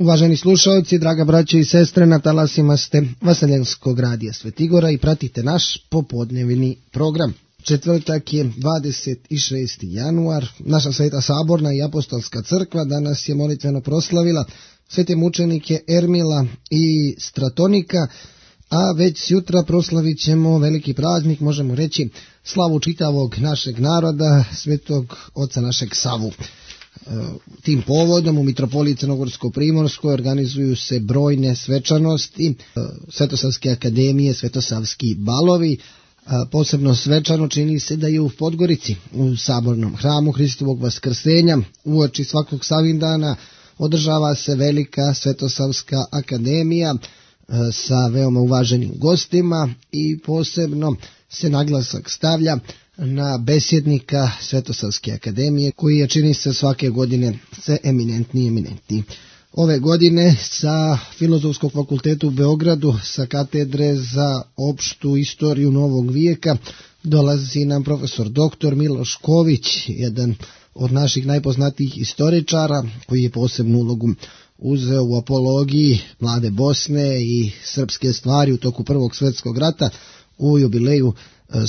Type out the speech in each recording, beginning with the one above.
Uvaženi slušalci, draga braćo i sestre, na talasima ste Vaseljenskog radija Svetigora i pratite naš popodnevni program. Četvrtak je 26. januar, naša Sveta Saborna i Apostolska crkva danas je molitveno proslavila svete mučenike Ermila i Stratonika, a već jutra proslavit ćemo veliki praznik, možemo reći slavu čitavog našeg naroda, svetog oca našeg Savu. Tim povodom u Mitropoliji Crnogorsko-Primorskoj organizuju se brojne svečanosti, Svetosavske akademije, Svetosavski balovi. Posebno svečano čini se da je u Podgorici, u Sabornom hramu Hristovog Vaskrsenja, uoči svakog Savindana održava se velika Svetosavska akademija sa veoma uvaženim gostima i posebno se naglasak stavlja na besjednika Svetosavske akademije, koji je, čini se, svake godine sve eminentniji. Ove godine sa Filozofskog fakulteta u Beogradu, sa katedre za opštu istoriju novog vijeka, dolazi nam profesor dr. Miloš Ković, jedan od naših najpoznatijih istoričara, koji je posebnu ulogu uzeo u apologiji mlade Bosne i srpske stvari u toku Prvog svjetskog rata u jubileju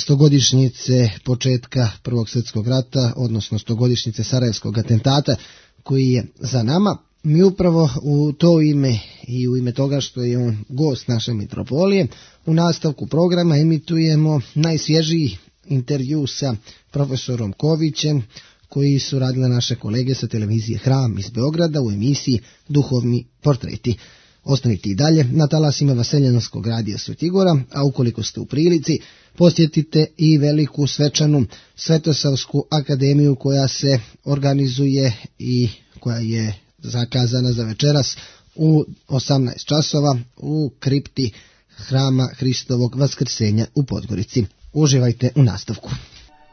stogodišnjice početka Prvog svjetskog rata, odnosno stogodišnjice Sarajevskog atentata koji je za nama. Mi upravo u to ime i u ime toga što je on gost naše mitropolije, u nastavku programa emitujemo najsvježiji intervju sa profesorom Kovićem, koji su radile naše kolege sa televizije Hram iz Beograda u emisiji Duhovni portreti. Ostanite i dalje na talasima Vaseljenskog radija Svetigora, a ukoliko ste u prilici, posjetite i veliku svečanu Svetosavsku akademiju koja se organizuje i koja je zakazana za večeras u 18 časova u kripti Hrama Hristovog Vaskrsenja u Podgorici. Uživajte u nastavku.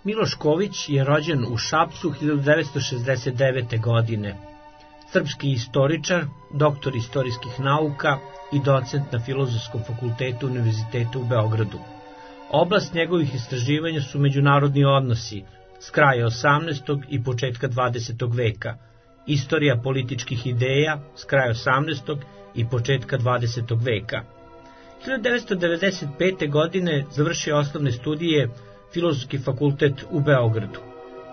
Miloš Ković je rođen u Šapcu 1969. godine. Srpski istoričar, doktor istorijskih nauka i docent na Filozofskom fakultetu Univerziteta u Beogradu. Oblast njegovih istraživanja su međunarodni odnosi s kraja 18. i početka 20. veka, istorija političkih ideja s kraja 18. i početka 20. veka. 1995. godine završio osnovne studije Filozofski fakultet u Beogradu.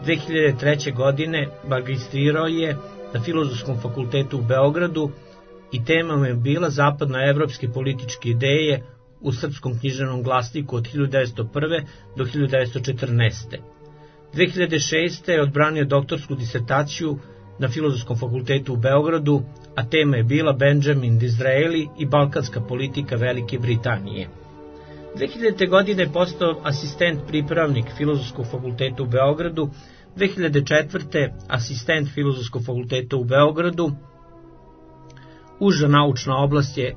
2003. godine magistrirao je na Filozofskom fakultetu u Beogradu i tema mu je bila zapadnoevropske političke ideje u Srpskom književnom glasniku od 1901. do 1914. 2006. je odbranio doktorsku disertaciju na Filozofskom fakultetu u Beogradu, a tema je bila Benjamin Disraeli i balkanska politika Velike Britanije. 2000. godine je postao asistent pripravnik Filozofskog fakulteta u Beogradu, 2004. asistent Filozofskog fakulteta u Beogradu. Uža naučna oblast je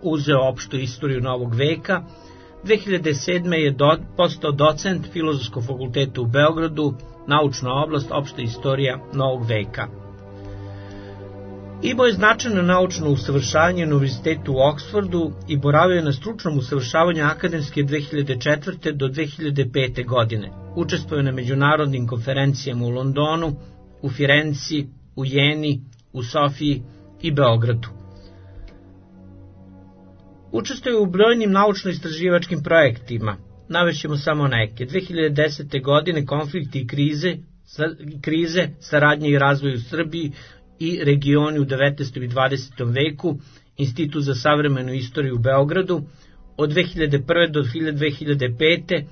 uzeo opštu istoriju novog veka. 2007. je postao docent Filozofskog fakulteta u Beogradu, naučna oblast opšta istorija novog veka. Imao je značajno naučno usavršavanje na Univerzitetu u Oksfordu i boravio je na stručnom usavršavanju akademske 2004. do 2005. godine. Učestvovao na međunarodnim konferencijama u Londonu, u Firenci, u Jeni, u Sofiji i Beogradu. Učestvovao u brojnim naučno-istraživačkim projektima. Navešćemo samo neke. 2010. godine konflikti i krize, saradnje i razvoj u Srbiji i regioni u 19. i 20. veku, Institut za savremenu istoriju u Beogradu, od 2001. do 2005.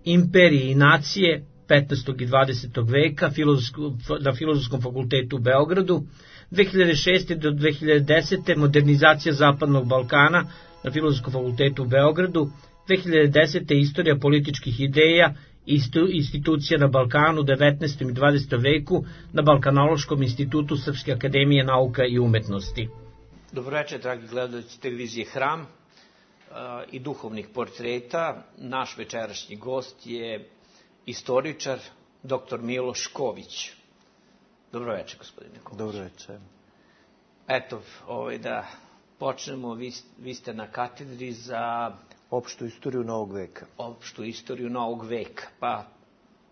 Imperije i nacije 15. i 20. veka na Filozofskom fakultetu u Beogradu, 2006. do 2010. modernizacija Zapadnog Balkana na Filozofskom fakultetu u Beogradu, 2010. istorija političkih ideja i institucija na Balkanu u 19. i 20. veku na Balkanološkom institutu Srpske akademije nauka i umetnosti. Dobroveče, dragi gledalci televizije Hram i duhovnih portreta. Naš večerašnji gost je istoričar dr. Miloš Ković. Dobroveče, gospodine Ković. Dobroveče. Eto, da počnemo, vi ste na katedri za opštu istoriju novog veka. Opštu istoriju novog veka. Pa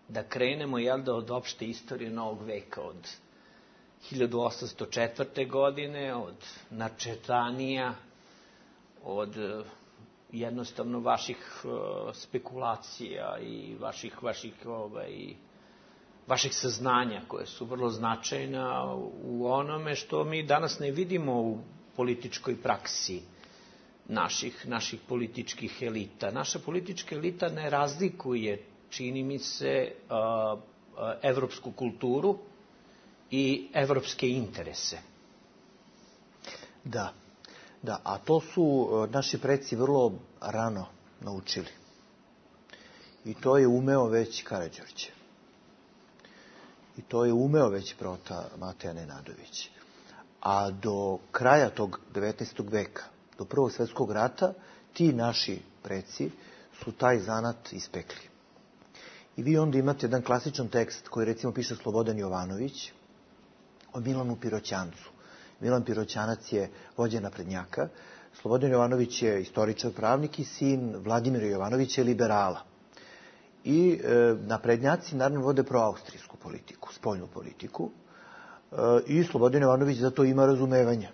da krenemo, od opšte istorije novog veka, od 1804. godine, od načetanija, od jednostavno vaših spekulacija i vaših saznanja koje su vrlo značajna u onome što mi danas ne vidimo u političkoj praksi naših političkih elita. Naša politička elita ne razlikuje, čini mi se, evropsku kulturu i evropske interese. Da, a to su naši preci vrlo rano naučili. I to je umeo već Karađorđe. I to je umeo već Prota Mateja Nenadović. A do kraja tog 19. veka, do Prvog svjetskog rata, ti naši preci su taj zanat ispekli. I vi onda imate jedan klasičan tekst koji recimo piše Slobodan Jovanović o Milanu Piroćancu. Milan Piroćanac je vođa naprednjaka. Slobodan Jovanović je istoričar, pravnik i sin Vladimira Jovanovića je liberala. I naprednjaci naravno vode proaustrijsku politiku, spoljnu politiku. I Slobodan Jovanović za to ima razumevanja.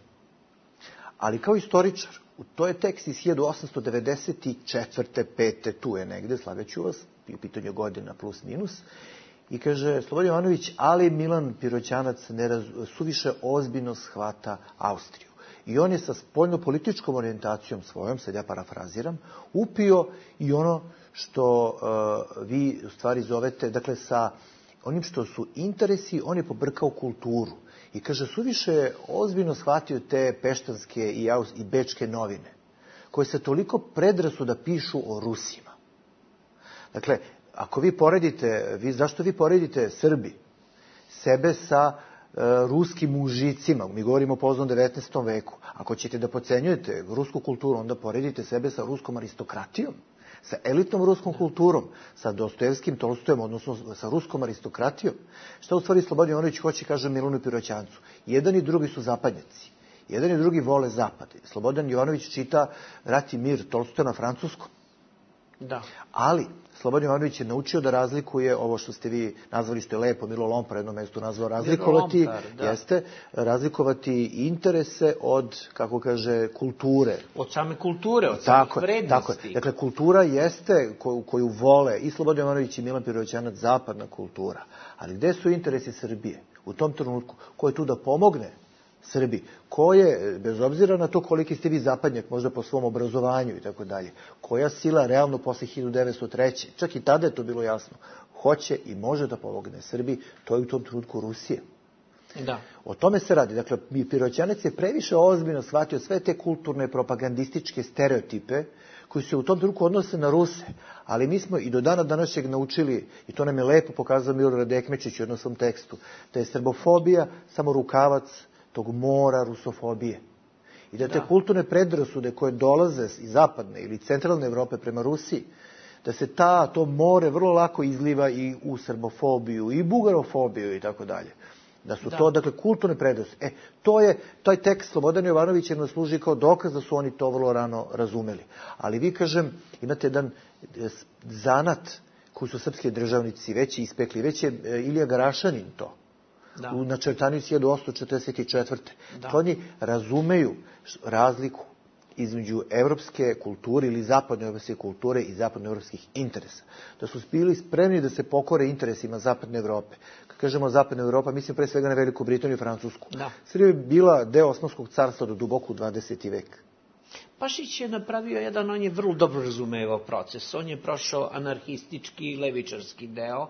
Ali kao istoričar, to je tekst iz 1894. 5. tu je negde, slagaću vas, u pitanju godina plus minus. I kaže Slobodan Jovanović, ali Milan Piroćanac suviše ozbiljno shvata Austriju. I on je sa spoljno-političkom orijentacijom svojom, sad ja parafraziram, upio i ono što vi u stvari zovete, dakle sa onim što su interesi, on je pobrkao kulturu. I kaže, suviše ozbiljno shvatio te peštanske i bečke novine, koje se toliko predrasuda pišu o Rusima. Dakle, ako vi poredite, zašto vi poredite Srbi sebe sa ruskim mužicima, mi govorimo o poznom 19. veku, ako ćete da pocenjujete rusku kulturu, onda poredite sebe sa ruskom aristokratijom, sa elitnom ruskom kulturom, sa Dostojevskim, Tolstojem, odnosno sa ruskom aristokratijom. Šta u stvari Slobodan Jovanović hoće, kaže Milanu Piroćancu? Jedan i drugi su zapadnjaci. Jedan i drugi vole zapad. Slobodan Jovanović čita Rat i mir Tolstoja na francuskom. Da. Ali Slobodan Jovanović je naučio da razlikuje ovo što ste vi nazvali, što je lepo, Milo Lompar na jednom mjestu nazvao razlikovati, razlikovati interese od, kako kaže, kulture. Od same kulture, od samih vrednosti. Tako je. Dakle, kultura jeste koju vole i Slobodan Jovanović i Milan Piroćanac, zapadna kultura. Ali gde su interesi Srbije? U tom trenutku, ko je tu da pomogne Srbi, ko je, bez obzira na to koliki ste vi zapadnjak, možda po svom obrazovanju i tako dalje, koja sila realno posle 1903. Čak i tada je to bilo jasno, hoće i može da pomogne Srbi, to je u tom trenutku Rusije. Da. O tome se radi. Dakle, Piroćanac je previše ozbiljno shvatio sve te kulturne propagandističke stereotipe koji se u tom trenutku odnose na Ruse. Ali mi smo i do dana današnjeg naučili, i to nam je lepo pokazao Milorad Ekmečić u jednom svom tekstu, da je srbofobija samo rukavac tog mora rusofobije. I da te kulturne predrasude koje dolaze iz zapadne ili centralne Evrope prema Rusiji, da se to more vrlo lako izliva i u srbofobiju i bugarofobiju i tako dalje. Da su to, dakle, kulturne predrasude. Taj tekst Slobodana Jovanovića nam služi kao dokaz da su oni to vrlo rano razumeli. Ali vi, kažem, imate jedan zanat koji su srpski državnici već ispekli, već je Ilija Garašanin to. U načrtanju 1844. Oni razumeju razliku između evropske kulture ili zapadnoevropske kulture i zapadnoevropskih interesa. Da su bili spremni da se pokore interesima zapadne Evrope. Kad kažemo zapadna Evropa, mislim pre svega na Veliku Britaniju i Francusku. Srbija je bila deo Osmanskog carstva do duboko u 20. vek. Pašić je napravio on je vrlo dobro razumevao proces. On je prošao anarhistički i levičarski deo.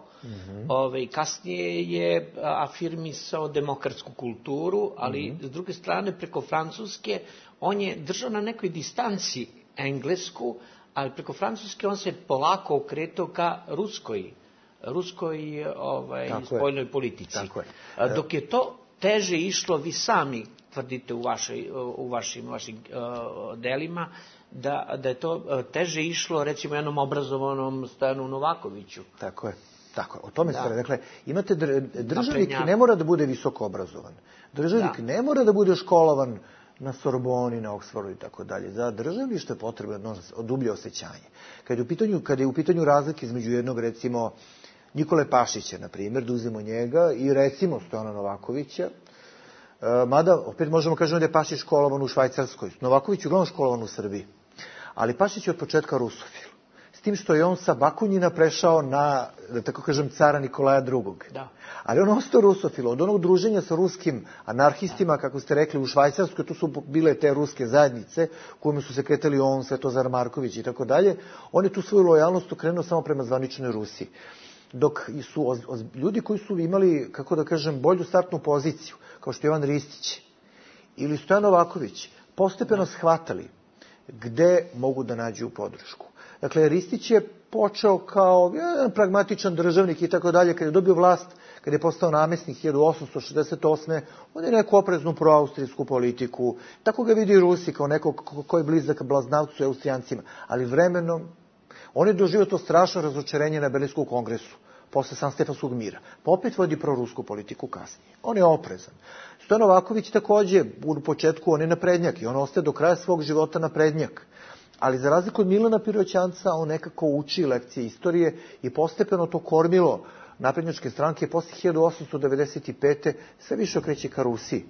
Kasnije je afirmisao demokratsku kulturu, ali s druge strane preko Francuske on je držao na nekoj distanci Englesku, ali preko Francuske on se polako okretao ka ruskoj spoljnoj politici. Dok je to teže išlo, vi sami tvrdite u vašim delima, da je to teže išlo, recimo, jednom obrazovanom Stojanu Novakoviću. Tako je. O tome se radi. Dakle, imate državnik ne mora da bude visoko obrazovan. Državnik ne mora da bude školovan na Sorboni, na Oxfordu i tako dalje. Za državništvo je potrebno dublje osjećanje. Kada je u pitanju razlike između jednog, recimo, Nikole Pašića, na primjer, da uzmemo njega, i recimo Stojana Novakovića, Mada, opet možemo kažemo da je Pašić školovan u Švajcarskoj, Novaković je uglavnom školovan u Srbiji. Ali Pašić je od početka rusofil. S tim što je on sa Bakunjina prešao na, da tako kažem, cara Nikolaja II. Da. Ali on ostao rusofil. Od onog druženja sa ruskim anarhistima, kako ste rekli, u Švajcarskoj, tu su bile te ruske zajednice, u kojima su se kretali on, Svetozar Marković i tako dalje, on je tu svoju lojalnost okrenuo samo prema zvaničnoj Rusiji. Dok su ljudi koji su imali, kako da kažem, bolju startnu poziciju, kao što je Jovan Ristić ili Stojan Novaković, postepeno shvatali gde mogu da nađu podršku. Dakle, Ristić je počeo kao jedan pragmatičan državnik i tako dalje, kad je dobio vlast, kad je postao namestnik 1868. On je neku opreznu proaustrijsku politiku, tako ga vidi Rusi kao nekog ko je blizak Blaznavcu i Austrijancima, ali vremenom on je doživio to strašno razočarenje na Berlinskom kongresu, posle Sanstefanskog mira. Pa opet vodi prorusku politiku kasnije. On je oprezan. Stojan Novaković takođe, u početku on je naprednjak i on ostaje do kraja svog života naprednjak. Ali za razliku od Milana Piroćanca, on nekako uči lekcije istorije i postepeno to kormilo naprednjačke stranke posle 1895. sve više okreće ka Rusiji.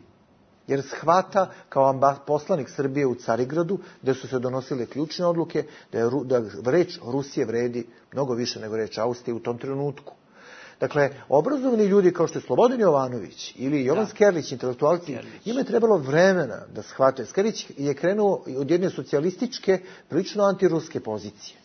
Jer shvata kao poslanik Srbije u Carigradu, gde su se donosile ključne odluke, da reč Rusije vredi mnogo više nego reč Austrije u tom trenutku. Dakle, obrazovani ljudi kao što je Slobodan Jovanović ili Jovan Skerlić, intelektualci, njima je trebalo vremena da shvate. Skerlić je krenuo od jedne socijalističke, prilično antiruske pozicije.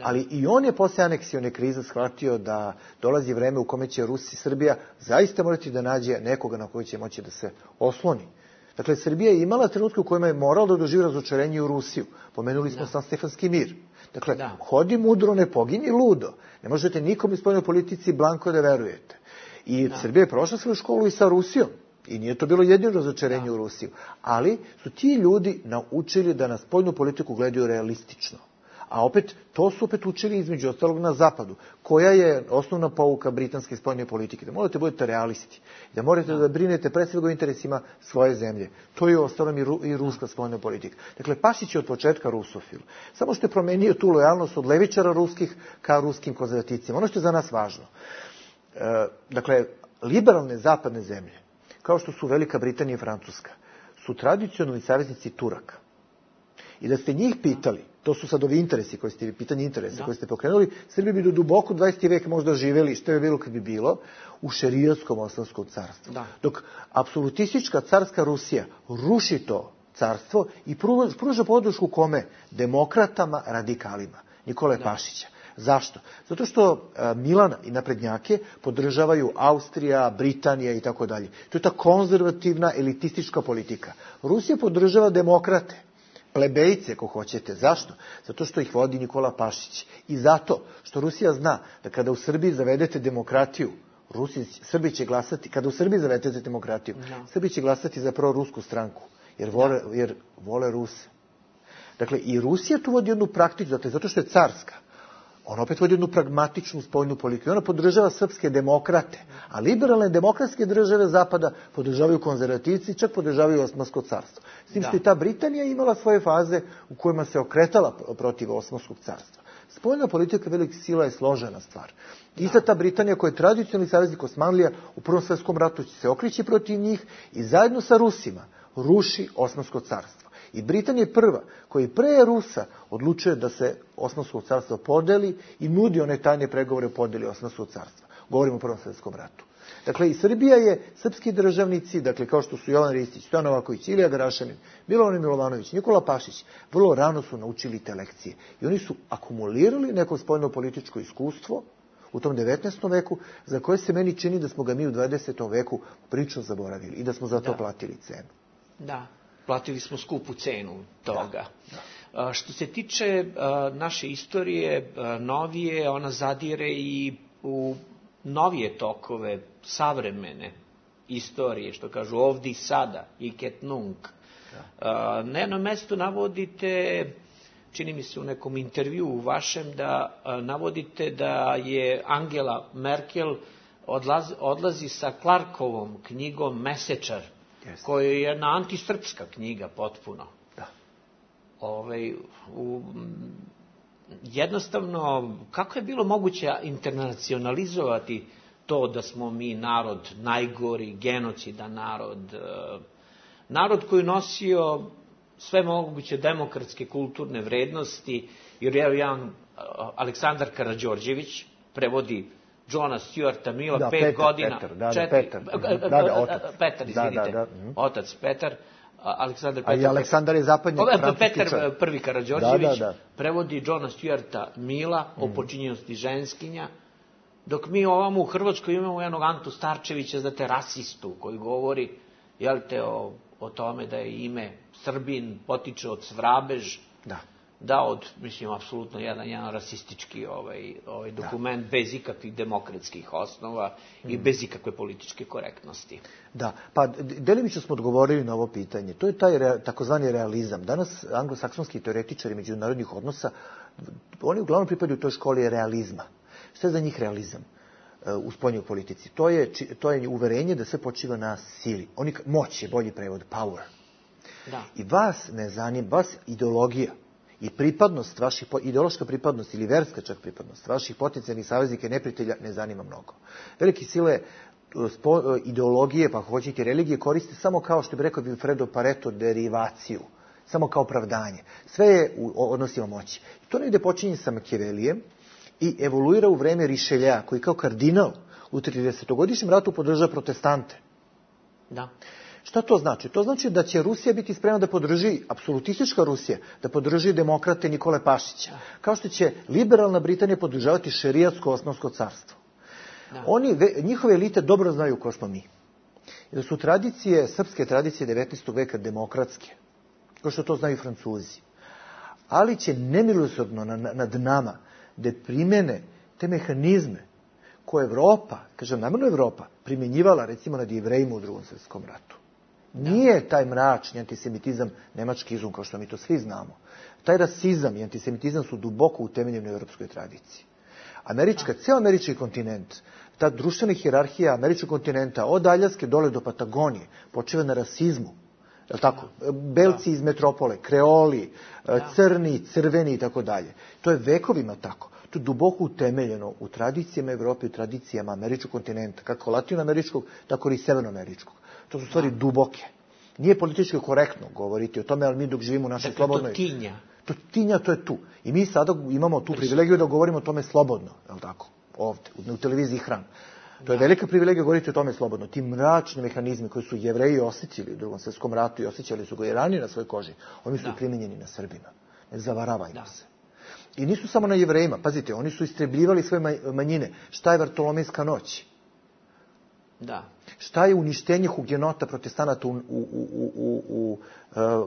Ali i on je posle aneksione krize shvatio da dolazi vreme u kome će Srbija zaista morati da nađe nekoga na koji će moći da se osloni. Dakle, Srbija je imala trenutke u kojima je morala da doživi razočarenje u Rusiju. Pomenuli smo Sanstefanski mir. Dakle, hodi mudro, ne pogini ludo. Ne možete nikom u spoljnoj politici blanko da verujete. I Srbija je prošla svoju školu i sa Rusijom. I nije to bilo jedino razočarenje u Rusiju. Ali su ti ljudi naučili da na spoljnu politiku gledaju realistično. A opet, to su opet učili između ostalog na zapadu. Koja je osnovna pouka britanske spoljne politike? Da morate budete realisti. Da morate da brinete pre svega o interesima svoje zemlje. To je ostalom i ruska spoljna politika. Dakle, Pašić je od početka rusofil. Samo što je promenio tu lojalnost od levičara ruskih ka ruskim konzervativcima. Ono što je za nas važno. Dakle, liberalne zapadne zemlje, kao što su Velika Britanija i Francuska, su tradicionalni saveznici Turaka. I da ste njih pitali, to su sad ovi interesi koji ste, pitanje interesa koje ste pokrenuli, Srbi bi do duboko 20. vek možda živeli, što je bilo kad bi bilo, u šerijskom Osmanskom carstvu. Dok apsolutistička carska Rusija ruši to carstvo i pruža podršku kome? Demokratama, radikalima. Nikole Pašića. Zašto? Zato što Milana i naprednjake podržavaju Austrija, Britanija i tako dalje. To je ta konzervativna, elitistička politika. Rusija podržava demokrate. Plebejce, ako hoćete. Zašto? Zato što ih vodi Nikola Pašić. I zato što Rusija zna da kada u Srbiji zavedete demokratiju, Srbi će glasati, kada u Srbiji zavedete demokratiju, Srbi će glasati za prorusku stranku, jer vole Ruse. Dakle, i Rusija tu vodi jednu praktičnu, zato što je carska. Ona opet vodi jednu pragmatičnu spoljnu politiku. Ona podržava srpske demokrate, a liberalne demokratske države Zapada podržavaju konzervativci, čak podržavaju Osmansko carstvo. S tim što i ta Britanija imala svoje faze u kojima se okretala protiv Osmanskog carstva. Spoljna politika velikih sila je složena stvar. Ista ta Britanija koja je tradicionalni saveznik Osmanlija u Prvom svjetskom ratu će se okreći protiv njih i zajedno sa Rusima ruši Osmansko carstvo. I Britanija je prva koja pre Rusa odlučuje da se Osmansko carstvo podeli i nudi one tajne pregovore o podeli Osmanskog carstva. Govorimo o Prvom svjetskom ratu. Dakle, i Srbija je, srpski državnici, dakle, kao što su Jovan Ristić, Stojan Novaković, Ilija Garašanin, Milovan Milovanović, Nikola Pašić, vrlo rano su naučili te lekcije. I oni su akumulirali neko spoljno-političko iskustvo u tom 19. veku, za koje se meni čini da smo ga mi u 20. veku prilično zaboravili i da smo za to platili cenu. Da, platili smo skupu cenu toga. Što se tiče naše istorije, novije, ona zadire i u novije tokove savremene istorije, što kažu ovdje i sada, iket nunc. Na jednom mjestu navodite, čini mi se u nekom intervjuu vašem, da navodite da je Angela Merkel odlazi sa Clarkovom knjigom Mesečar, koja je jedna antisrpska knjiga potpuno. Jednostavno, kako je bilo moguće internacionalizovati to da smo mi narod najgori, genocidan narod koji nosio sve moguće demokratske kulturne vrednosti, jer jedan Aleksandar Karađorđević prevodi Johna Stuarta Milla 5 godina. Petar, izvinite. Otac Petar. Aleksandar Petar. A i Aleksandar je zapadnjak francuski čovjek. Petar prvi Karađorđević prevodi Johna Stuarta Milla o počinjenosti ženskinja, dok mi ovamo u Hrvatskoj imamo jednog Antu Starčevića, znate, rasistu, koji govori, o tome da je ime Srbin potiče od Svrabež, mislim, apsolutno jedan rasistički dokument bez ikakvih demokratskih osnova i bez ikakve političke korektnosti. Da, pa delimično smo odgovorili na ovo pitanje. To je taj takozvani realizam. Danas anglosaksonski teoretičari međunarodnih odnosa, oni uglavnom pripadaju toj školi realizma. Šta je za njih realizam u spoljnoj politici? To je uverenje da sve počiva na sili. Moć je bolji prevod, power. Da. I vas ne zanima, vas ideologija i pripadnost, ideološka pripadnost ili verska čak pripadnost vaših potencijalnih saveznika i neprijatelja ne zanima mnogo. Velike sile ideologije, pa hoćete religije, koriste samo kao što bi rekao Vilfredo Pareto derivaciju, samo kao opravdanje. Sve je u odnosima moći. To negde počinje sa Makijavelijem i evoluira u vreme Rišelja, koji kao kardinal u 30-godišnjem ratu podržava protestante. Da. Šta to znači? To znači da će Rusija biti spremna da podrži, apsolutistička Rusija, da podrži demokrate Nikole Pašića. Kao što će liberalna Britanija podržavati šerijatsko Osmansko carstvo. Njihove elite dobro znaju ko smo mi. Jer su srpske tradicije 19. veka demokratske. Kao što to znaju i Francuzi. Ali će nemilosrdno nad nama da primene te mehanizme koje Evropa, kažem namjerno Evropa, primjenjivala recimo nad Jevrejima u Drugom svjetskom ratu. Nije taj mračni antisemitizam nemački izum, kao što mi to svi znamo. Taj rasizam i antisemitizam su duboko utemeljeni u europskoj tradiciji. Ceo američki kontinent, ta društvena hijerarhija američkog kontinenta, od Aljaske dole do Patagonije, počiva na rasizmu. Belci iz metropole, kreoli, crni, crveni i tako dalje. To je vekovima tako. To je duboko utemeljeno u tradicijama Evrope i tradicijama američkog kontinenta, kako latinoameričkog, tako i severnoameričkog. To su stvari duboke. Nije politički korektno govoriti o tome, ali mi dok živimo u našoj slobodnoj... To tinja, to je tu. I mi sada imamo tu privilegiju da govorimo o tome slobodno, je li tako? Ovde, u televiziji Hram. To je velika privilegija govoriti o tome slobodno. Ti mračni mehanizmi koji su Jevreji osjećali u Drugom svjetskom ratu i osjećali su ga i ranije na svojoj koži, oni su primijenjeni na Srbima. Ne zavaravajmo se. I nisu samo na Jevrejima. Pazite, oni su istrebljivali svoje manjine. Šta je Vartolomejska noć? Da. Šta je uništenje hugenota protestanata u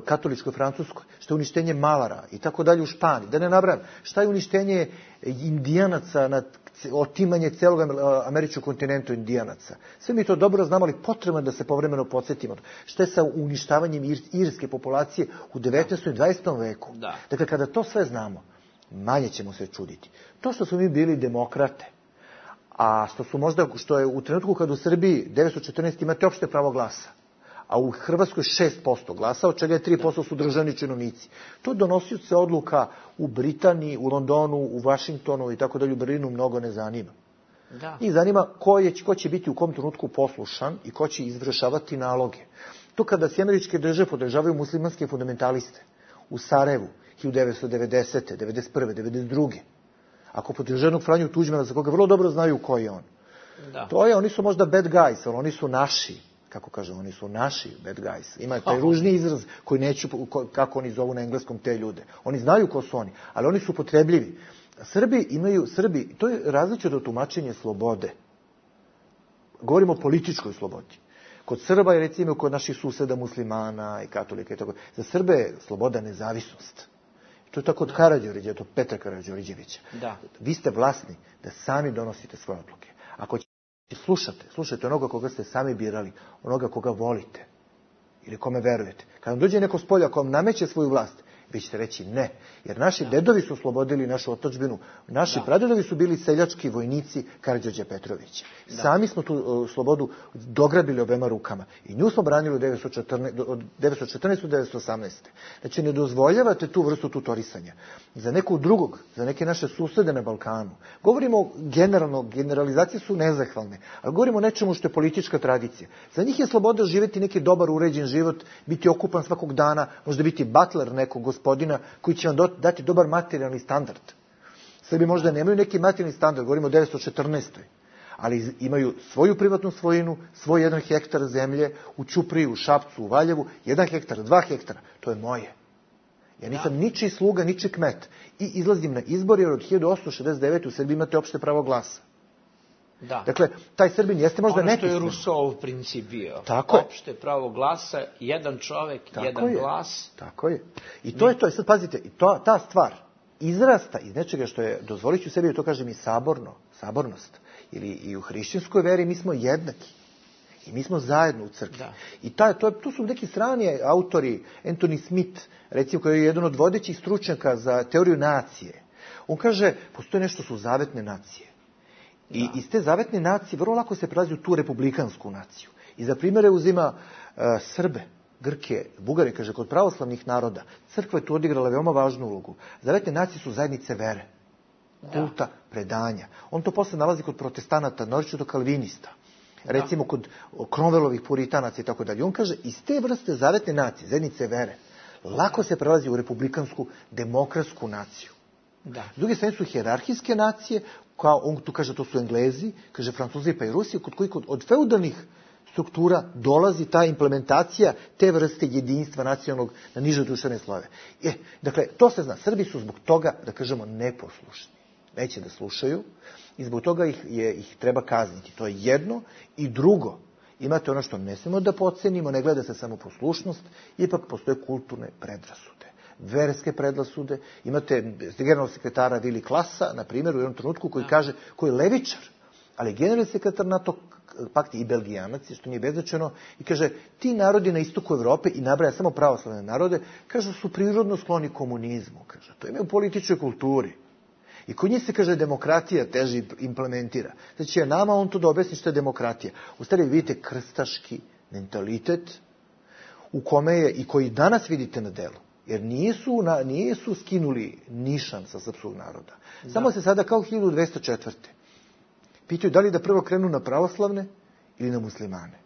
katoličkoj Francuskoj? Šta je uništenje Malara i tako dalje u Španiji? Da ne nabrajam. Šta je uništenje Indijanaca, otimanje celog američkog kontinenta Indijanaca? Sve mi to dobro znamo, ali potrebno je da se povremeno podsjetimo. Šta je sa uništavanjem irske populacije u 19. i 20. veku? Da. Dakle, kada to sve znamo, manje ćemo se čuditi. To što smo mi bili demokrate, a što je u trenutku kad u Srbiji 914 imate opšte pravo glasa, a u Hrvatskoj 6% glasa, od čega je 3% su državni činovnici. To donosioce odluka u Britaniji, u Londonu, u Vašingtonu i tako dalje, u Berlinu mnogo ne zanima. Da. Njih zanima ko će biti u kom trenutku poslušan i ko će izvršavati naloge. To kada se američke države podržavaju muslimanske fundamentaliste u Sarajevu 1990. 1991. 1992. Ako podržaju jednog Franju Tuđmana, za koga vrlo dobro znaju ko je on. Da. Oni su možda bad guys, ali oni su naši. Kako kažem, oni su naši bad guys. Ima taj ružni izraz koji neću, kako oni zovu na engleskom te ljude. Oni znaju ko su oni, ali oni su upotrebljivi. Srbi, to je različito tumačenje slobode. Govorimo o političkoj slobodi. Kod Srba je recimo kod naših suseda muslimana i katolika i tako. Za Srbe je sloboda nezavisnost. To je tako od Karađorđevića, od Petra Karađorđevića. Da. Vi ste vlasni da sami donosite svoje odluke. Ako slušajte onoga koga ste sami birali, onoga koga volite ili kome verujete. Kad vam dođe neko s polja ko vam nameće svoju vlast, Vi ćete reći ne, jer naši dedovi su oslobodili našu otadžbinu, naši pradedovi su bili seljački vojnici Karađorđa Petrovića. Sami smo tu slobodu dograbili obema rukama i nju smo branili od 914. do 1918. Znači, ne dozvoljavate tu vrstu tutorisanja. Za nekog drugog, za neke naše susede na Balkanu. Govorimo generalno, generalizacije su nezahvalne, ali govorimo o nečemu što je politička tradicija. Za njih je sloboda živjeti neki dobar, uređen život, biti okupan svakog dana, možda biti butler nekog gospodina koji će vam dati dobar materijalni standard. Srbi možda nemaju neki materijalni standard, govorimo o 1914. Ali imaju svoju privatnu svojinu, svoj 1 hektar zemlje u Ćupriji, u Šapcu, u Valjevu, 1 hektar, 2 hektara, to je moje. Ja nisam ničiji sluga, ničiji kmet. I izlazim na izbor jer od 1869. u Srbiji imate opšte pravo glasa. Da. Dakle, taj Srbin jeste možda nepismen. Ono što je Rousseau princip bio. Tako je. Opšte pravo glasa, jedan čovek, jedan glas. Tako je. I to je to. I sad pazite, i ta stvar izrasta iz nečega što je, dozvolit ću sebi da to kažem i sabornost. Ili i u hrišćanskoj veri mi smo jednaki. I mi smo zajedno u crkvi. Da. I to su neki strani autori, Anthony Smith, recimo, koji je jedan od vodećih stručnjaka za teoriju nacije. On kaže, postoje nešto su zavetne nacije. I iz te zavetne nacije vrlo lako se prelazi u tu republikansku naciju. I za primjere uzima Srbe, Grke, Bugare, kaže, kod pravoslavnih naroda. Crkva je tu odigrala veoma važnu ulogu. Zavetne nacije su zajednice vere, kulta, predanja. On to posle nalazi kod protestanata, naročito kalvinista. Recimo kod Cromwellovih puritanaca i tako dalje. On kaže, iz te vrste zavetne nacije, zajednice vere, lako se prelazi u republikansku, demokratsku naciju. Da. S druge strane su hijerarhijske nacije, kao on tu kaže, to su Englezi, kaže Francuzi pa i Rusi, kod kojih od feudalnih struktura dolazi ta implementacija te vrste jedinstva nacionalnog na niže društvene slojeve. Dakle, to se zna. Srbi su zbog toga, da kažemo, neposlušni. Neće da slušaju i zbog toga ih treba kazniti. To je jedno. I drugo, imate ono što ne smemo da podcenimo, ne gleda se samo poslušnost, ipak postoje kulturne predrasude, verske predrasude. Imate generalnog sekretara Vili Klasa, na primjer, u jednom trenutku koji kaže, koji je levičar, ali generalni sekretar NATO pakti i belgijanac, što nije beznačajno, i kaže, ti narodi na istoku Evrope, i nabraja samo pravoslavne narode, kaže, su prirodno skloni komunizmu. Kaže, to ima u političkoj kulturi. I kod njih se, kaže, demokratija teže implementira. Znači, nama on to da objasni što je demokratija. U stvari vidite krstaški mentalitet u kome je, i koji danas vidite na delu. Jer nisu skinuli nišan sa srpskog naroda. Samo se sada kao 1204. pitaju da li da prvo krenu na pravoslavne ili na muslimane.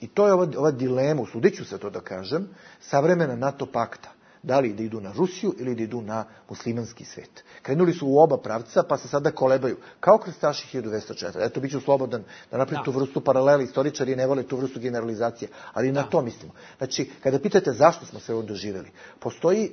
I to je ova dilema, usudiću se to da kažem, savremena NATO pakta. Da li da idu na Rusiju ili da idu na muslimanski svet. Krenuli su u oba pravca, pa se sada kolebaju. Kao krstaši 1204. Eto, bit ću slobodan da napravim tu vrstu paralela. Istoričari ne vole tu vrstu generalizacije. Ali na to mislimo. Znači, kada pitate zašto smo sve ovo doživjeli, postoji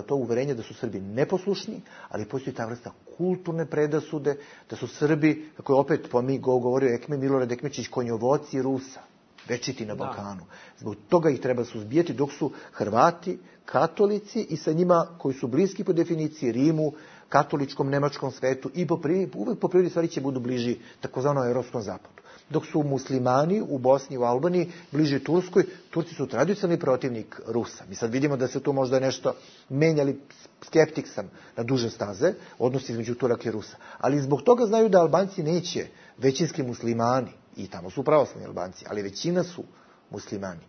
to uverenje da su Srbi neposlušni, ali postoji ta vrsta kulturne predrasude, da su Srbi, kako je opet govorio Milorad Ekmečić, konjovoci Rusa. Večiti na Balkanu. Zbog toga ih treba suzbijati, dok su Hrvati, katolici i sa njima koji su bliski po definiciji Rimu, katoličkom, nemačkom svetu i uvek po prirodi stvari će budu bliži takozvanom evropskom zapadu. Dok su muslimani u Bosni i u Albaniji bliži Turskoj, Turci su tradicionalni protivnik Rusa. Mi sad vidimo da se tu možda nešto menjali, skeptik sam na duže staze, odnosi između Turaka i Rusa. Ali zbog toga znaju da Albanci neće, većinski muslimani, i tamo su pravoslavni Albanci, ali većina su muslimani.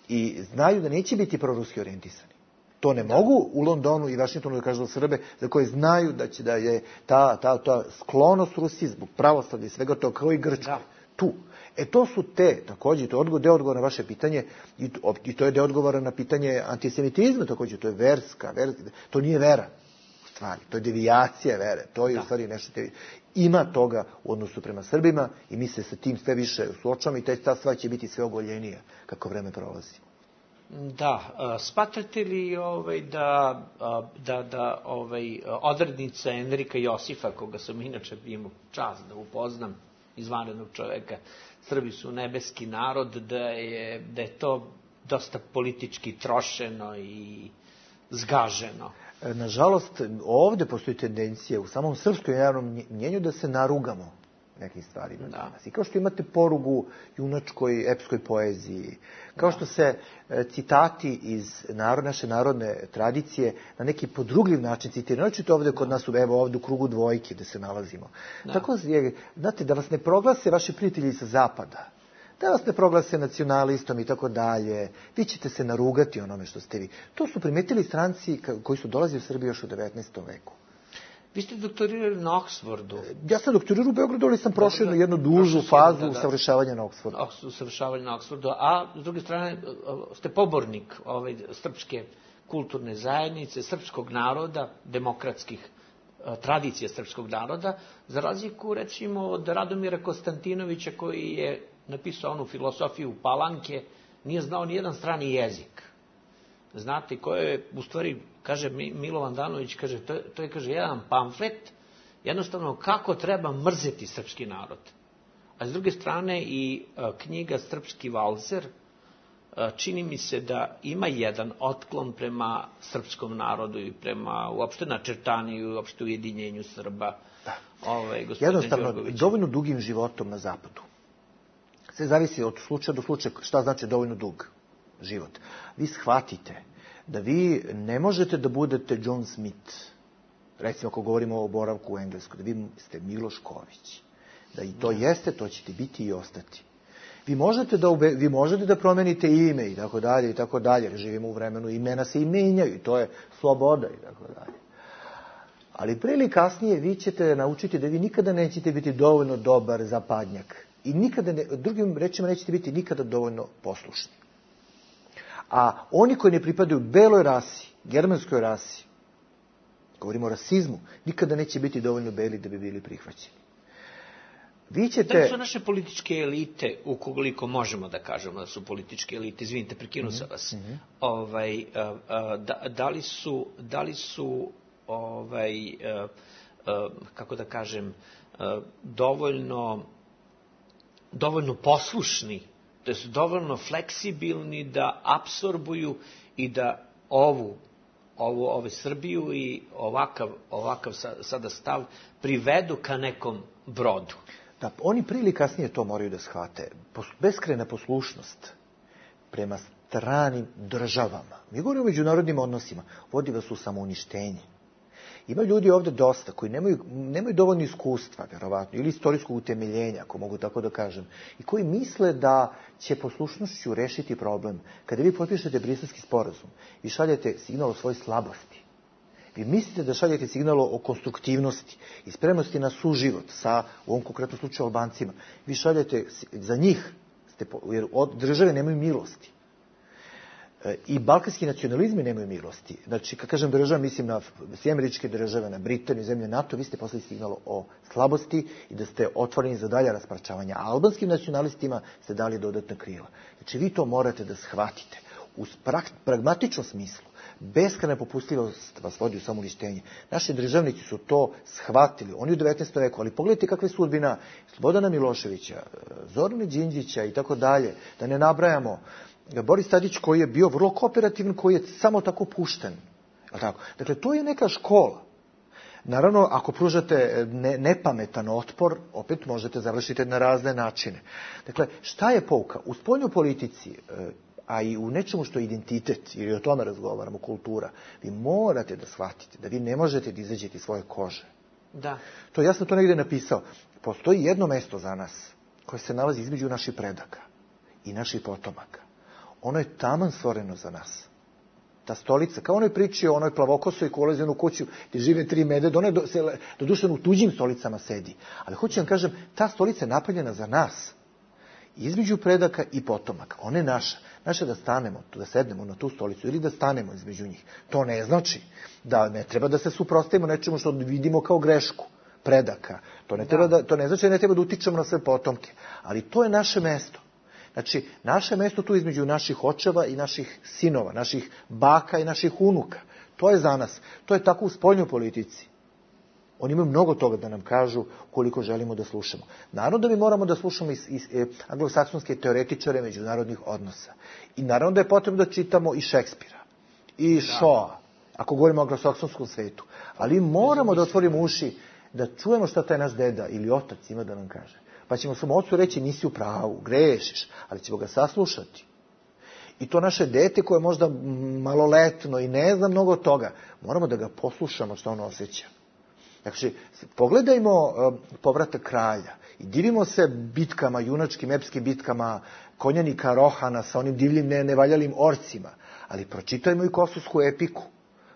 I znaju da neće biti proruski orijentisani. To ne mogu u Londonu i Vašingtonu da kažu Srbe, za koje znaju da je ta sklonost Rusiji zbog pravoslavlja i svega to kao i Grčkoj. Tu. To su također, to je deo odgovora na vaše pitanje i to je deo odgovora na pitanje antisemitizma također, to je verska, to nije vera. Stvari. To je devijacija vere, to je u stvari nešto ima toga u odnosu prema Srbima i mi se sa tim sve više suočavamo i ta stvar će biti sve ogoljenija kako vreme prolazi. Da, smatrate li da odrednica Enrika Josifa, koga sam inače imao čast da upoznam, izvanrednog čoveka, Srbi su nebeski narod, da je to dosta politički trošeno i zgaženo? Nažalost, ovdje postoji tendencija u samom srpskom javnom mnjenju da se narugamo nekim stvarima danas. I kao što imate porugu junačkoj, epskoj poeziji, kao što se citati iz naše narodne tradicije na neki podrugljiv način citiraju. Naočito ovdje kod nas, evo ovdje u krugu dvojke gdje se nalazimo. Tako je, znate, da vas ne proglase vaši prijatelji sa zapada, da vas ne proglase nacionalistom i tako dalje, vi ćete se narugati onome što ste vi. To su primetili stranci koji su dolazili u Srbiju još u 19. veku. Vi ste doktorirali na Oksfordu. Ja sam doktorirao u Beogradu, ali sam prošao jednu dužu fazu usavršavanja na Oksfordu. Usavršavanja na Oksfordu, a s druge strane ste pobornik srpske kulturne zajednice, srpskog naroda, demokratskih tradicija srpskog naroda, za razliku recimo od Radomira Konstantinovića koji je napisao onu filosofiju Palanke, nije znao ni jedan strani jezik. Znate, koje je, u stvari, kaže Milovan Danović, kaže, to je kaže, jedan pamflet, jednostavno kako treba mrzeti srpski narod. A s druge strane i knjiga Srpski valzer, čini mi se da ima jedan otklon prema srpskom narodu i prema uopšte načrtanju i uopšte ujedinjenju Srba. Jednostavno, dovoljno dugim životom na zapadu. Sve zavisi od slučaja do slučaja šta znači dovoljno dug život. Vi shvatite da vi ne možete da budete John Smith, recimo ako govorimo o boravku u Engleskoj, da vi ste Miloš Ković. Da i to jeste, to ćete biti i ostati. Vi možete da promenite ime i tako dalje i tako dalje. Živimo u vremenu, imena se i menjaju i to je sloboda i tako dalje. Ali pre ili kasnije vi ćete naučiti da vi nikada nećete biti dovoljno dobar zapadnjak. I nikada, drugim rečima, nećete biti nikada dovoljno poslušni. A oni koji ne pripadaju beloj rasi, germanskoj rasi, govorimo o rasizmu, nikada neće biti dovoljno beli da bi bili prihvaćeni. Vi ćete... Da su naše političke elite, ukoliko možemo da kažemo da su političke elite, izvinite, prekinu sam vas, da li su kako da kažem, dovoljno poslušni, da su dovoljno fleksibilni da apsorbuju i da ovu Srbiju i ovakav sada stav privedu ka nekom brodu. Da, oni prije ili kasnije to moraju da shvate. Beskrajna poslušnost prema stranim državama, mi govorimo o međunarodnim odnosima, vodi vas u samouništenje. Ima ljudi ovdje dosta koji nemaju dovoljno iskustva, vjerovatno, ili istorijskog utemeljenja, ako mogu tako da kažem, i koji misle da će poslušnošću rešiti problem. Kada vi potpišete Briselski sporazum, vi šaljete signal o svojoj slabosti. Vi mislite da šaljete signal o konstruktivnosti i spremnosti na suživot sa, u ovom konkretnom slučaju, Albancima. Vi šaljete za njih, jer od države nemaju milosti. I balkanski nacionalizmi nemaju milosti. Znači, kad kažem država, mislim na sve američke države, na Britaniju, zemlje NATO, vi ste poslali signal o slabosti i da ste otvoreni za dalja rasparčavanja. A albanskim nacionalistima ste dali dodatna krila. Znači, vi to morate da shvatite. U pragmatičnom smislu, beskrajna popustljivost vas vodi u samouništenje. Naši državnici su to shvatili. Oni u 19. veku, ali pogledajte kakva je sudbina Slobodana Miloševića, Zorana Đinđića i tako dalje, da ne nabrajamo. Boris Tadić koji je bio vrlo kooperativan, koji je samo tako pušten. Dakle, to je neka škola. Naravno, ako pružate nepametan otpor, opet možete završiti na razne načine. Dakle, šta je pouka? U spoljnoj politici, a i u nečemu što je identitet, jer i o tome razgovaramo, kultura, vi morate da shvatite da vi ne možete da izađete iz svoje kože. Da. Ja sam to negdje napisao. Postoji jedno mesto za nas koje se nalazi između naših predaka i naših potomaka. Ono je taman stvoreno za nas. Ta stolica, kao onoj priči o onoj plavokosoj koja ulazi u onu kuću gdje žive 3 medveda, ona je doduše u tuđim stolicama sedi. Ali hoću vam kažem, ta stolica je napravljena za nas. Između predaka i potomaka. Ona je naša. Naša da stanemo, da sednemo na tu stolicu ili da stanemo između njih. To ne znači da ne treba da se suprotstavimo nečemu što vidimo kao grešku predaka. To ne znači da ne treba da utičemo na sve potomke. Ali to je naše mesto. Znači, naše mesto tu između naših očeva i naših sinova, naših baka i naših unuka. To je za nas. To je tako u spoljnoj politici. Oni imaju mnogo toga da nam kažu koliko želimo da slušamo. Naravno da mi moramo da slušamo iz anglosaksonske teoretičare međunarodnih odnosa. I naravno da je potrebno da čitamo i Šekspira, i Shawa, ako govorimo o anglosaksonskom svetu. Ali moramo da otvorimo uši da čujemo šta taj naš deda ili otac ima da nam kaže. Pa ćemo svom ocu reći nisi u pravu, grešiš, ali ćemo ga saslušati. I to naše dete koje je možda maloletno i ne zna mnogo toga, moramo da ga poslušamo što on osjeća. Znači, pogledajmo Povratak kralja i divimo se bitkama, junačkim, epskim bitkama konjanika Rohana sa onim divljim nevaljalim orcima, ali pročitajmo i Kosovsku epiku,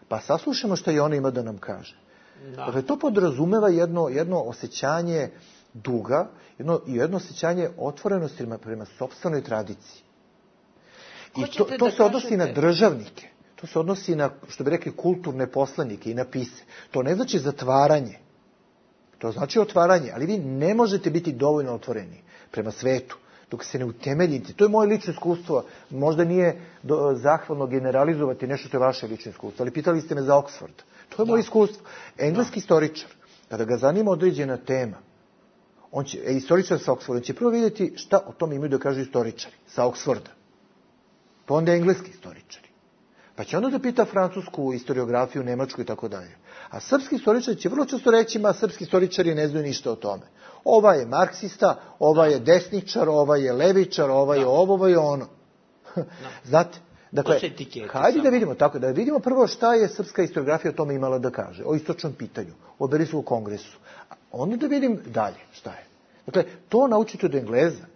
pa saslušamo što i ona ima da nam kaže. Da. Dakle, to podrazumeva jedno osjećanje duga, jedno osjećanje otvorenosti prema sopstvenoj tradiciji. I to se odnosi na državnike, to se odnosi na, što bi rekli, kulturne poslanike i na pise. To ne znači zatvaranje, to znači otvaranje, ali vi ne možete biti dovoljno otvoreni prema svetu dok se ne utemeljite. To je moje lično iskustvo, možda nije zahvalno generalizovati nešto što je vaše lično iskustvo, ali pitali ste me za Oxford. To je moje iskustvo. Engleski istoričar, kada ga zanima određena tema, istoričar sa Oxforda, on će prvo vidjeti šta o tome imaju da kažu istoričari sa Oxforda. Pa onda engleski istoričari. Pa će onda da pita francusku historiografiju, nemačku i tako dalje. A srpski istoričari će vrlo često reći, srpski istoričari ne znaju ništa o tome. Ova je marksista, ova je desničar, ova je levičar, ova je ovo, ova je ono. Znate? Dakle, hajde da vidimo tako, da vidimo prvo šta je srpska historiografija o tome imala da kaže, o istočnom pitanju, o Berisovom kongresu. A onda da vidim dalje šta je. Dakle, to naučite od Engleza.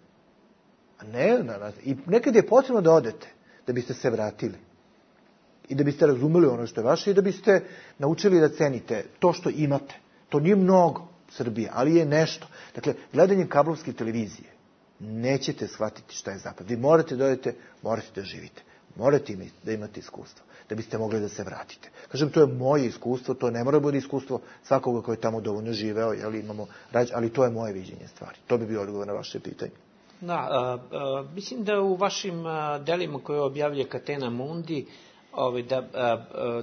I nekad je potrebno da odete, da biste se vratili. I da biste razumeli ono što je vaše i da biste naučili da cenite to što imate. To nije mnogo Srbije, ali je nešto. Dakle, gledanjem kablovske televizije nećete shvatiti šta je zapad. Vi morate da odete, morate da živite. Morate da imate iskustvo, da biste mogli da se vratite. Kažem, to je moje iskustvo, to ne mora bude iskustvo svakoga koji je tamo dovoljno živeo, ali to je moje viđenje stvari. To bi bio odgovor na vaše pitanje. Da, mislim da u vašim delima koje objavlja Catena Mundi,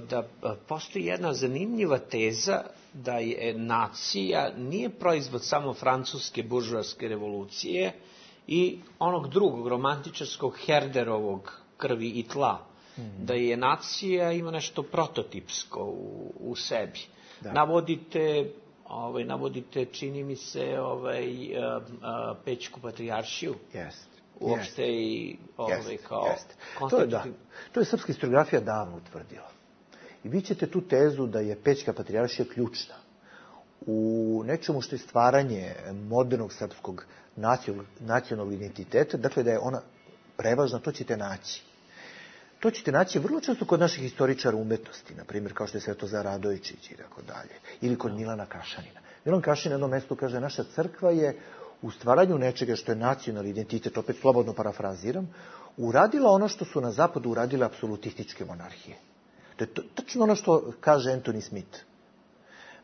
da postoji jedna zanimljiva teza da je nacija nije proizvod samo francuske buržoaske revolucije i onog drugog romantičarskog Herderovog Krvi i tla, da je nacija ima nešto prototipsko u sebi. Da. Navodite, čini mi se, Pećku patrijaršiju. Uopšte i kao konstitutivno. To je srpska historiografija davno utvrdila. I vi ćete tu tezu da je Pećka patrijaršija ključna u nečemu što je stvaranje modernog srpskog nacionalnog identiteta, dakle da je ona prevažna, to ćete naći. To ćete naći vrlo često kod naših historičara umetnosti, na primjer kao što je Svetozar Radojičić i tako dalje, ili kod Milana Kašanina. Milan Kašanin na jednom mjestu kaže, naša crkva je u stvaranju nečega što je nacionalni identitet, opet slobodno parafraziram, uradila ono što su na zapadu uradile apsolutističke monarhije. To je tačno ono što kaže Anthony Smith.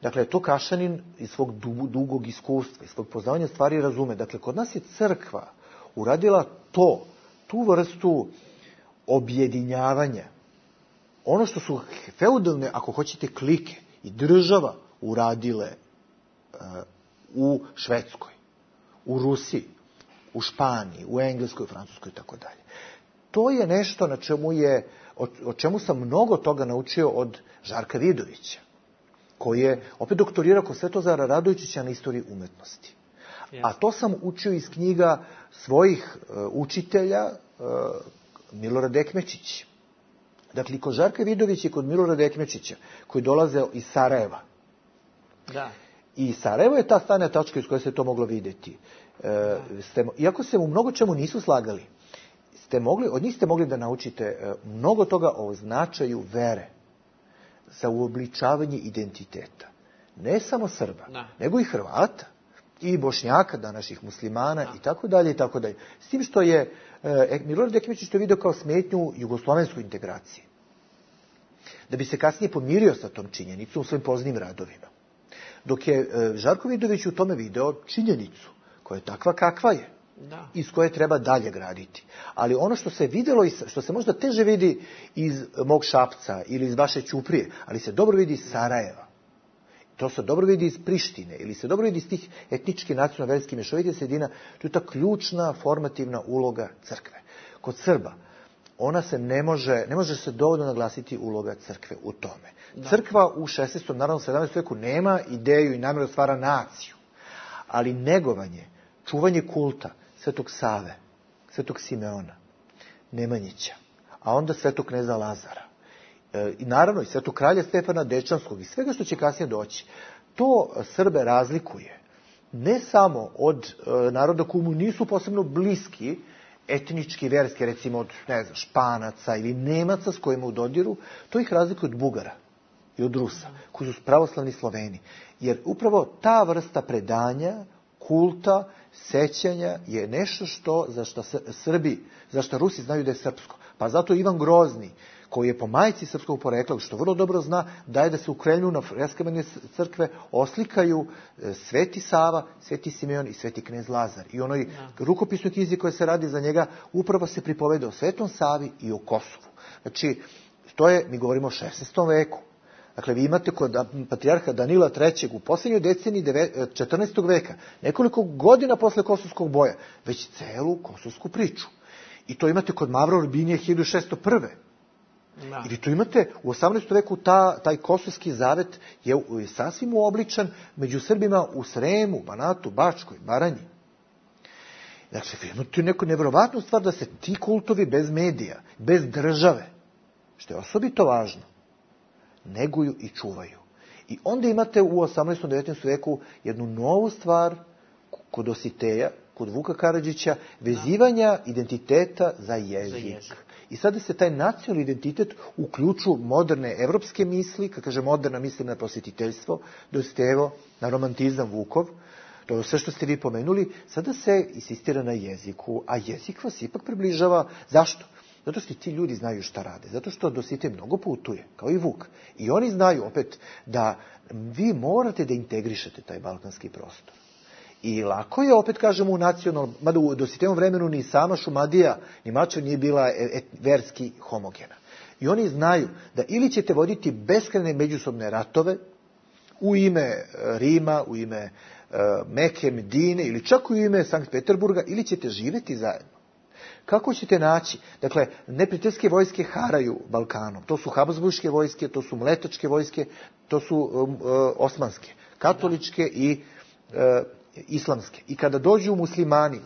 Dakle, to Kašanin iz svog dugog iskustva, iz svog poznavanja stvari razume. Dakle, kod nas je crkva uradila tu vrstu objedinjavanja. Ono što su feudalne, ako hoćete, klike i država uradile u Švedskoj, u Rusiji, u Španiji, u Engleskoj, u Francuskoj i tako dalje. To je nešto o čemu sam mnogo toga naučio od Žarka Vidovića, koji je opet doktorirao kod Svetozara Radojičića na istoriji umetnosti. A to sam učio iz knjiga svojih učitelja, Milorad Ekmečić. Dakle, kod Žarka Vidovića i kod Milorada Ekmečića, koji dolaze iz Sarajeva. Da. I Sarajevo je ta stanja tačka iz koje se to moglo vidjeti. Iako se u mnogo čemu nisu slagali, od njih ste mogli da naučite mnogo toga o značaju vere za uobličavanje identiteta. Ne samo Srba, nego i Hrvata, i Bošnjaka, današnjih muslimana i tako dalje i tako dalje. S tim što je Milorad Ekmečić to vidio kao smetnju jugoslovensku integraciji. Da bi se kasnije pomirio sa tom činjenicom u svojim poznim radovima. Dok je Žarko Vidović u tome video činjenicu koja je takva kakva je. Da. Iz koje treba dalje graditi. Ali ono što se vidjelo i što se možda teže vidi iz mog Šapca ili iz vaše Ćuprije, ali se dobro vidi iz Sarajeva. To se dobro vidi iz Prištine ili se dobro vidi iz tih etnički, nacionalno-verskih mješovitih sredina. To je ta ključna formativna uloga crkve. Kod Srba ona se ne može se dovoljno naglasiti uloga crkve u tome. Da. Crkva u 16. naravno 17. veku nema ideju i namjeru da stvara naciju, ali negovanje, čuvanje kulta Svetog Save, Svetog Simeona, Nemanjića, a onda Svetog kneza Lazara, i naravno i Svetog kralja Stefana Dečanskog i svega što će kasnije doći, to Srbe razlikuje ne samo od naroda koji mu nisu posebno bliski, etnički, verski, recimo od, Španaca ili Nemaca s kojima u dodiru, to ih razlikuje od Bugara i od Rusa, koji su pravoslavni Sloveni. Jer upravo ta vrsta predanja, kulta, sećanja je nešto za što Rusi znaju da je srpsko. Pa zato Ivan Grozni, koji je po majci srpskog porekla, što vrlo dobro zna, daje da se u Kremlju na freskama crkve oslikaju Sveti Sava, Sveti Simeon i Sveti knez Lazar. I onoj rukopisnoj knjizi koja se radi za njega upravo se pripoveda o Svetom Savi i o Kosovu. Znači, mi govorimo o 16. veku. Dakle, vi imate kod patrijarha Danila III. U posljednjoj deceniji 14. veka, nekoliko godina posle Kosovskog boja, već celu kosovsku priču. I to imate kod Mavra Urbinije 1601. Da. Ili to imate u 18. veku taj kosovski zavet je sasvim uobličan među Srbima u Sremu, Banatu, Bačkoj, Baranji. Dakle, vi imate neku nevjerovatnu stvar da se ti kultovi bez medija, bez države, što je osobito važno, neguju i čuvaju. I onda imate u 18. 19. veku jednu novu stvar kod Dositeja, kod Vuka Karadžića, vezivanja identiteta za jezik. I sada se taj nacionalni identitet uključu moderne evropske misli, kad kaže moderna mislim na prosvetiteljstvo, Dositejevo, na romantizam Vukov, to je sve što ste vi pomenuli, sada se insistira na jeziku, a jezik vas ipak približava. Zašto? Zato što ti ljudi znaju šta rade. Zato što Dositej mnogo putuje, kao i Vuk. I oni znaju opet da vi morate da integrišete taj balkanski prostor. I lako je, opet kažemo, u nacionalnom, mada u Dositejevom vremenu ni sama Šumadija, ni Mačva nije bila verski homogena. I oni znaju da ili ćete voditi beskrajne međusobne ratove u ime Rima, u ime Meke, Medine ili čak u ime Sankt Peterburga, ili ćete živjeti zajedno. Kako ćete naći? Dakle, neprijateljske vojske haraju Balkanom. To su habsburške vojske, to su mletačke vojske, to su osmanske, katoličke i islamske. I kada dođu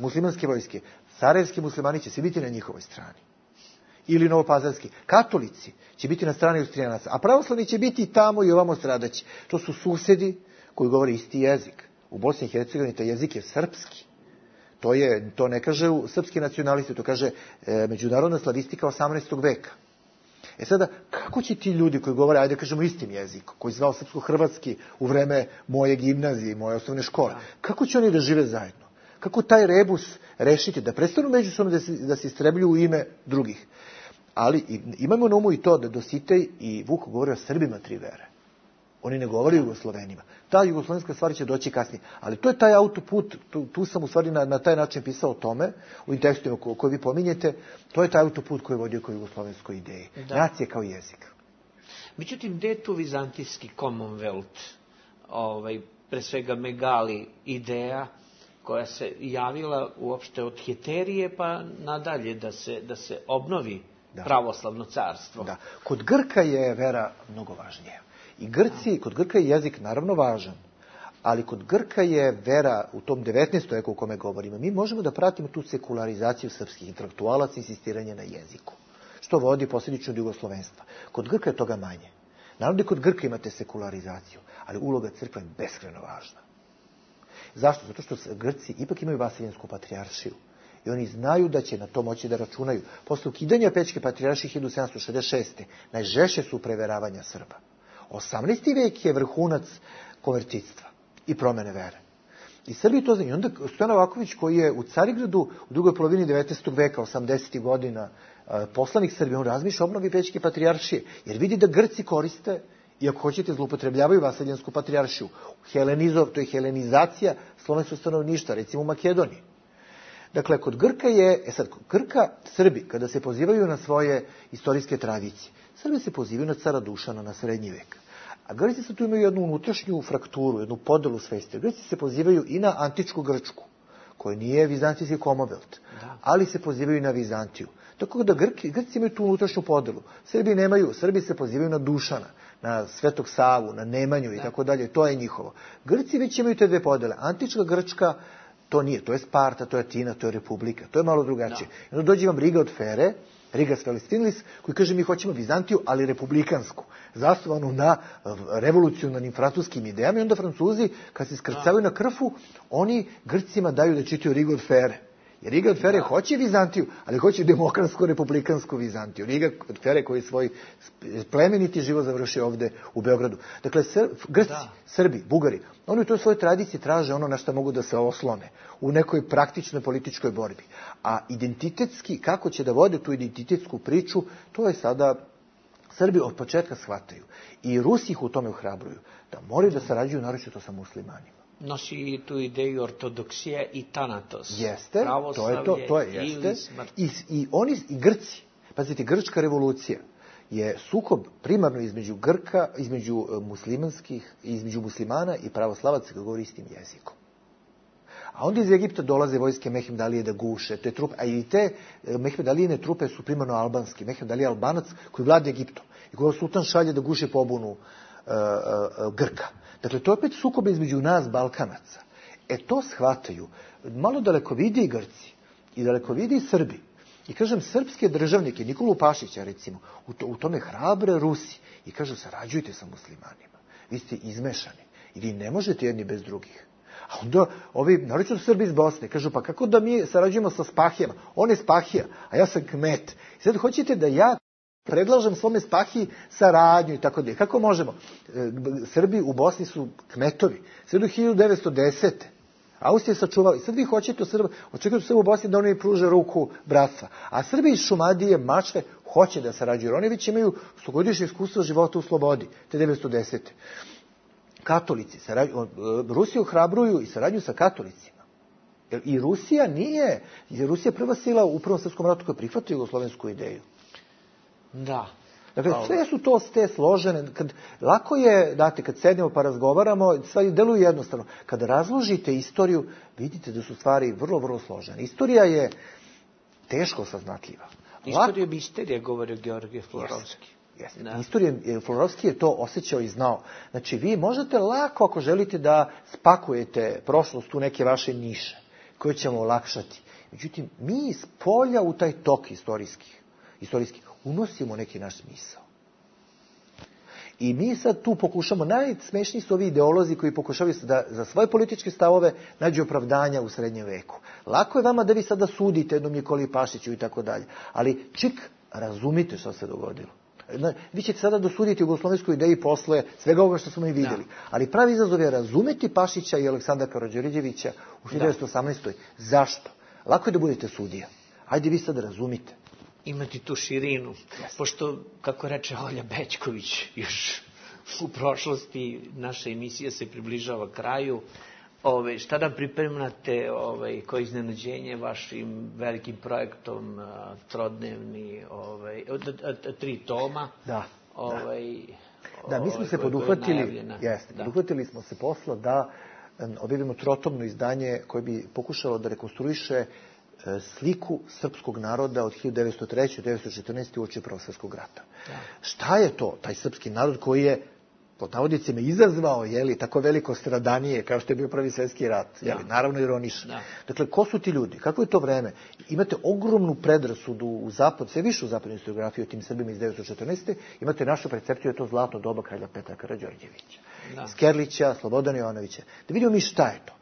muslimanske vojske, sarajevski muslimani će svi biti na njihovoj strani. Ili novopazarski. Katolici će biti na strani Austrijanaca, a pravoslavni će biti tamo i ovamo stradaći. To su susedi koji govore isti jezik. U Bosni i Hercegovini taj jezik je srpski. To ne kaže srpski nacionalisti, to kaže međunarodna slavistika 18. veka. Sada, kako će ti ljudi koji govore, ajde kažemo istim jezikom, koji zvao srpsko-hrvatski u vreme moje gimnazije, moje osnovne škole, kako će oni da žive zajedno? Kako taj rebus rešiti, da prestanu međusobno da se istrebljuju u ime drugih? Ali imamo na umu i to da Dositej i Vuk govore o Srbima tri vere. Oni ne govore o Jugoslovenima. Ta jugoslovenska stvar će doći kasnije. Ali to je taj autoput, tu sam u stvari na taj način pisao o tome, u tekstima koje vi pominjete, to je taj autoput koji je vodio kao jugoslovenskoj ideji. Da. Nacije kao jezik. Međutim, gde je tu vizantijski Commonwealth, pre svega Megali ideja, koja se javila uopšte od Heterije pa nadalje da se obnovi pravoslavno carstvo? Da. Kod Grka je vera mnogo važnija. Kod Grka je jezik naravno važan, ali kod Grka je vera u tom 19. veku o kome govorimo. Mi možemo da pratimo tu sekularizaciju srpskih intelektualaca i insistiranje na jeziku, što vodi posljedično od jugoslovenstva. Kod Grka je toga manje. Naravno da kod Grka imate sekularizaciju, ali uloga crkve je beskrajno važna. Zašto? Zato što Grci ipak imaju Vasiljansku patrijaršiju. I oni znaju da će na to moći da računaju. Posle ukidanja Pećke patrijaršije 1766. najžešće su preveravanja Srba. 18. vek je vrhunac konvertitstva i promene vere. I Srbi to znaju. I onda Stojan Novaković, koji je u Carigradu u drugoj polovini 19. veka, 80. godina, poslanik Srbije, on razmišlja o obnovi Pećke patrijaršije, jer vidi da Grci koriste, i ako hoćete, zloupotrebljavaju Vasiljansku patrijaršiju. To je helenizacija slovenskog stanovništva, recimo u Makedoniji. Dakle, kod Grka Srbi, kada se pozivaju na svoje istorijske tradicije, Srbi se pozivaju na cara Dušana, na srednji vek. A Grci sad tu imaju jednu unutrašnju frakturu, jednu podelu svesti. Grci se pozivaju i na antičku Grčku, koji nije vizantijski Commonwealth, ali se pozivaju na Vizantiju. Tako da Grci imaju tu unutrašnju podelu. Srbi se pozivaju na Dušana, na Svetog Savu, na Nemanju i tako dalje. To je njihovo. Grci već imaju te dve podele. Antička Grčka, to nije. To je Sparta, to je Atina, to je Republika. To je malo drugačije. I onda dođe vam Riga od Fere, Rigas Felestinis, koji kaže mi hoćemo Vizantiju, ali republikansku, zasnovanu na revolucionarnim francuskim idejama. I onda Francuzi, kad se skrcavaju na Krfu, oni Grcima daju da čitaju Riga od Fere. Jer Riga od Fere hoće Vizantiju, ali hoće demokratsko-republikansku Vizantiju. Riga od Fere koji svoj plemeniti život završio ovde u Beogradu. Dakle, Grci, Srbi, Bugari, oni u toj svojoj tradiciji traže ono na što mogu da se oslone u nekoj praktičnoj političkoj borbi. A identitetski, kako će da vode tu identitetsku priču, to je sada Srbi od početka shvataju. I Rusi ih u tome ohrabruju, da moraju da sarađuju naročito sa muslimanima. Nosi tu ideju ortodoksije i tanatos. Jeste, to je jeste. I oni, i Grci, pazite, grčka revolucija je sukob primarno između muslimana i pravoslavaca koji govori istim jezikom. A onda iz Egipta dolaze vojske Mehmed Alije da guše te trupe, a i te Mehmed Alijine trupe su primarno albanski. Mehmed Alija Albanac koji vlada Egiptom i koji sultan šalje da guše pobunu Grka. Dakle, to je opet sukob između nas, Balkanaca. To shvataju malo dalekovidi Grci i dalekovidi Srbi. I kažem, srpske državnike, Nikolu Pašića recimo, u tome hrabre Rusi. I kažu, sarađujte sa muslimanima. Vi ste izmešani i vi ne možete jedni bez drugih. A onda ovi, naročito Srbi iz Bosne, kažu, pa kako da mi sarađujemo sa Spahijama? On je Spahija, a ja sam kmet. I sad hoćete da ja predlažem svome Spahiji saradnju i tako dalje. Kako možemo? Srbi u Bosni su kmetovi. Sve do 1910. Austrija je sačuvala. I sad vi hoćete očekujete Srbi u Bosni da oni pruže ruku bratstva. A Srbi iz Šumadije, Mačve, hoće da sarađuju. Jer oni već imaju stogodišnje iskustvo života u slobodi, te 1910. Katolici, Rusiju ohrabruju i saradnju sa katolicima. I Rusija nije, jer Rusija prva sila u Prvom svjetskom ratu koja prihvata jugoslovensku ideju. Da. Dakle, sve su to te složene. Lako je, znate, kad sednemo pa razgovaramo, stvari deluju jednostavno. Kada razložite istoriju, vidite da su stvari vrlo, vrlo složene. Istorija je teško saznatljiva. Istorija misterija, govorio Georgije Florovski. Florovski je to osjećao i znao. Znači, vi možete lako, ako želite, da spakujete prošlost u neke vaše niše, koje ćemo olakšati. Međutim, mi iz polja u taj tok istorijski unosimo neki naš smisao. I mi sad tu pokušamo, najsmešniji su ovi ideolozi koji pokušavaju da za svoje političke stavove nađu opravdanja u srednjem veku. Lako je vama da vi sada sudite jednom Nikoli Pašiću i tako dalje, ali razumite što se dogodilo. Vi ćete sada dosuditi jugoslovensku ideju posle svega ovoga što smo i vidjeli. Ali pravi izazov je razumeti Pašića i Aleksandra Karađorđevića u 1918. Zašto? Lako je da budete sudija. Ajde vi sad razumite. Imati tu širinu. Pošto, kako reče Olja Bećković, još u prošlosti naša emisija se približava kraju. Šta da pripremate koje iznenađenje vašim velikim projektom trodnevni, 3 toma? Da. Mi smo se poduhvatili smo se posla da objavimo trotomno izdanje koje bi pokušalo da rekonstruiše sliku srpskog naroda od 1903. do 1914. uoči Prvog svjetskog rata. Šta je to, taj srpski narod koji je pod navodnicima izazvao tako veliko stradanje kao što je bio Prvi svjetski rat. Naravno ironično. Dakle, ko su ti ljudi? Kako je to vreme? Imate ogromnu predrasudu u zapad, sve više u zapadnoj historiografiji o tim Srbima iz 1914. Imate našu percepciju, je to zlatno doba kralja Petra Karađorđevića, Skerlića, Slobodana Jovanovića. Da vidimo mi šta je to.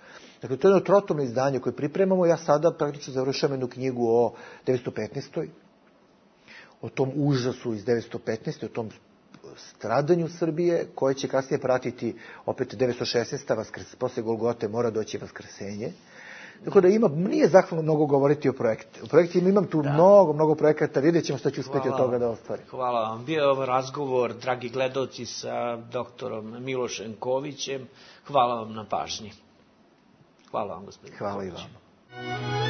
Dakle, to je jedno trotomno izdanje koje pripremamo. Ja sada praktično završavam jednu knjigu o 1915. O tom užasu iz 1915. O tom stradanju Srbije, koje će kasnije pratiti opet 1916. Posle Golgote mora doći Vaskrsenje. Tako da nije zahvalno mnogo govoriti o projektu. U projektima imam tu mnogo projekata, vidjet ćemo što ću uspjeti od toga da ostvarim. Hvala vam. Bio je ovo razgovor, dragi gledalci, sa doktorom Milošem Kovićem. Hvala vam na pažnji. Hvala vam, gospodine. Hvala i vam.